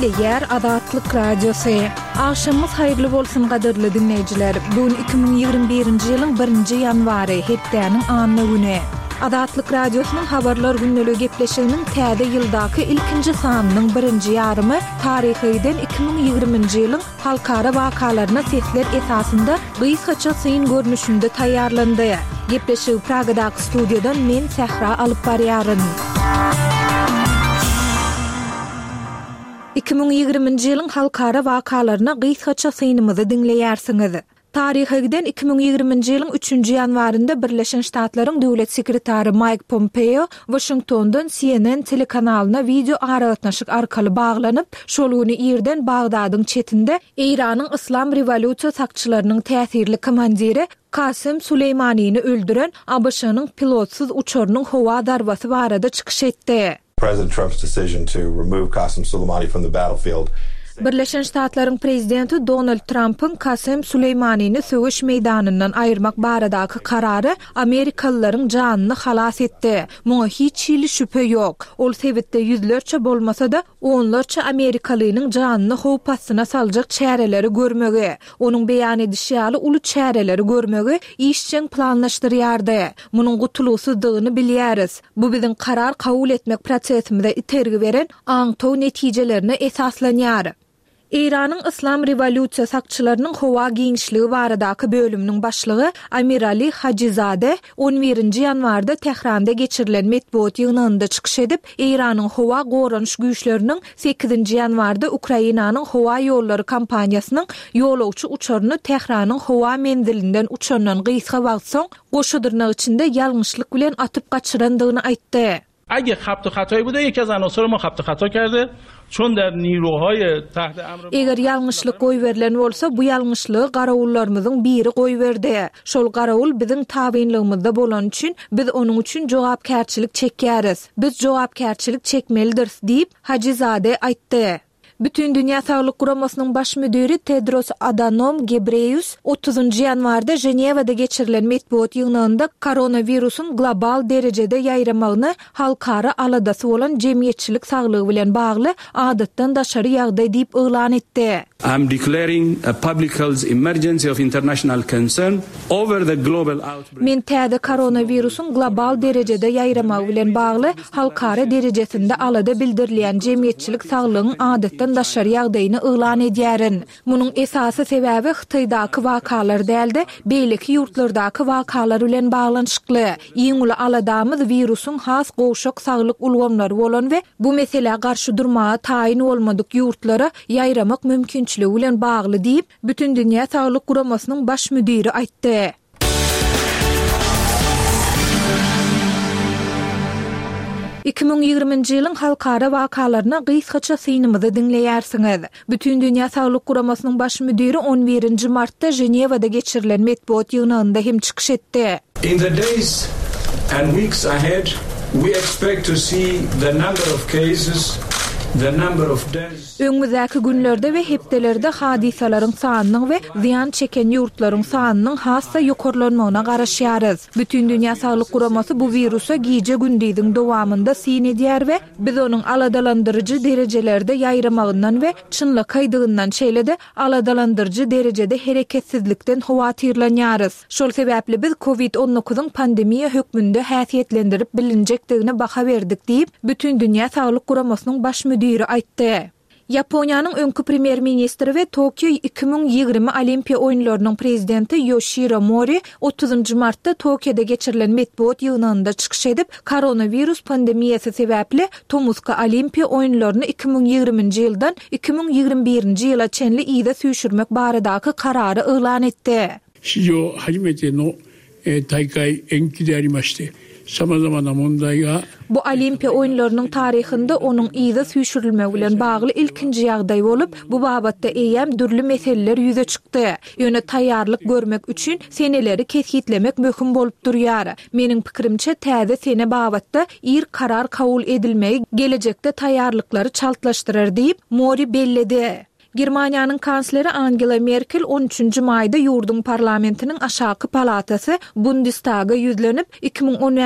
Gepleýär Azatlyk Radiosy. Agşamyňyz haýyrly bolsun gadyrly diňleýjiler. Bu gün 2021-nji ýylyň birinji ýanwary, hepdäniň anna güni. Azatlyk Radiosynyň Habarlar gündeligi gepleşiginiň täze ýyldaky ilkinji sanynyň birinji ýarymy taryha giden 2020-nji ýylyň halkara wakalaryna sesler esasynda gysgaça syn görnüşinde taýýarlandy. Gepleşigi Pragadaky studiýadan men Sähra alyp barýaryn. 2020-nji ýylyň halkara wakalaryna gysgaça synymyzy diňleýärsiňiz. Taryha giden 2020-nji ýylyň üçünji ýanwarynda Birleşen Ştatlaryň Döwlet sekretary Maýk Pompeo Waşingtondan CNN telekanalyna wideo aragatnaşyk arkaly baglanyp, şol güni irden Bagdadyň çetinde Eýranyň Yslam rewolýusiýa sakçylarynyň täsirli komandiri Kasem Suleýmanini öldüren ABŞ-nyň pilotsyz uçarynyň howa zarbasy barada çykyş etdi. President Trump's decision to remove Qasem Soleimani from the battlefield. Birleşen Ştatlaryň prezidenti Donald Trampyň Kasem Suleýmanini söweş meýdanyndan aýyrmak baradaky karary amerikalylaryň janyny halas etdi. Muňa hiç hili şübhe ýok. Ol sebitde ýüzlerçe bolmasa-da, onlarça amerikalynyň janyny howp astyna saljak çäreleri görmegi, onuň beýan edişi ýaly uly çäreleri görmegi işjeň planlaşdyrýardy. Munuň gutulgysyzdygyny bilýäris. Bu biziň karar kabul etmek prosesimize itergi beren aňtaw netijelerine esaslanýar. Eýranyň Yslam rewolýusiýa sakçylarynyň howa giňişligi baradaky bölüminiň başlygy Amirali Hajizade on birinji ýanwarda Tähranda geçirilen metbugat ýygnagynda çykyş edip, Eýranyň howa goranyş güýçleriniň sekizinji ýanwarda Ukrainanyň howa ýollary kompaniýasynyň ýolagçy uçaryny Tähranyň howa menzilinden uçandan gysga wagt soň goşa dyrnak içinde ýalňyşlyk bilen atyp gaçyrandygyny aýtdy. Eger habty hataýy bude ýeke az anasor ma habty hata kerde, çon der niruhaýy tahte emr Eger ýalňyşlyk goýberilen bolsa, bu ýalňyşlygy garawullarymyzyň biri goýberdi. Şol garawul biziň tabynlygymyzda bolany üçin, biz onuň üçin jogapkärçilik çekýäris. Biz jogapkärçilik çekmelidiris diýip, Hajizade aýtdy. Bütindünýä Saglyk Guramasynyň baş müdiri Tedros Adanom Gebreýus otuzynjy ýanwarda Ženewada geçirilen metbugat ýygnagynda koronawirusyň global derejede ýaýramagyny halkara aladasy bolan jemgyýetçilik saglygy bilen bagly adatdan daşary ýagdaý diýip yglan etdi. I am declaring a public health emergency of international concern over the global outbreak. Men täze koronawirusyň global derejede ýaýramagy bilen bagly halkara derejesinde alada bildirilýän jemgyýetçilik saglygyň adatdan daşary ýagdaýyny yglan edýärin. Munuň esasy sebäbi Hytaýdaky wakalar däl-de, beýleki ýurtlardaky wakalar bilen baglanyşykly. Iň uly aladamyz wirusyň has gowşak saglyk ulgamlary bolan we bu meselä garşy durmaga taýyn bolmadyk ýurtlara ýaýramak mümkinçiligi bilen bagly diýip, Bütindünýä saglyk guramasynyň baş müdiri aýtdy. 2020-nji ýylyň halkara wakalaryna gysgaça synymyzy diňleýärsiňiz. Bütindünýä Saglyk Guramasynyň baş müdiri on birinji martda Ženewada geçirilen metbugat ýygnagynda hem çykyş etdi. In the days and weeks ahead, we expect to see the number of cases, the number of deaths, Öňümizdäki günlerde we hepdelerde hadysalaryň sanynyň we zyýan çeken ýurtlaryň sanynyň has-da ýokarlanmagyna garaşýarys. Bütindünýä Saglyk Guramasy bu wirusa gije-gündiziň dowamynda syn edýär we biz onuň aladalandyryjy derejelerde ýaýramagyndan we çynlakaýdygyndan, şeýle-de aladalandyryjy derejede hereketsizlikden howatyrlanýarys. Şol sebäpli biz Covid on dokuzyň pandemiýa hökmünde häsiýetlendirip bilinjekdigine baha berdik diýip, Bütindünýä Saglyk Guramasynyň baş müdiri aýtdy. Ýaponiýanyň öňki premýer-ministri we Tokio 2020 Olimpiýa oýunlarynyň prezidenti Ýoşiro Mori otuzynjy martda Tokioda geçirilen metbugat ýygnagynda çykyş edip, koronawirus pandemiýasy sebäpli tomusky Olimpiýa oýunlaryny 2020-nji ýyldan 2021-nji ýyla çenli yza süýşürmek baradaky karary yglan etdi. 史上初めての大会延期でありまして、様々な問題が。 Bu Olimpiýa oýunlarynyň taryhynda onuň yza süýşürilmegi bilen bagly ilkinji ýagdaý bolup, bu babatda eýýäm dürli meseleler ýüze çykdy. Ýöne taýýarlyk görmek üçin seneleri kesgitlemek möhüm bolup durýar. Meniň pikirimçe, täze sene babatda ir karar kabul edilmegi gelejekde taýýarlyklary çaltlaşdyrar diýip, Mori belledi. Germaniýanyň kansleri Angela Merkel on üçünji maýda ýurduň parlamentiniň aşaky palatasy Bundestaga ýüzlenip, 2015.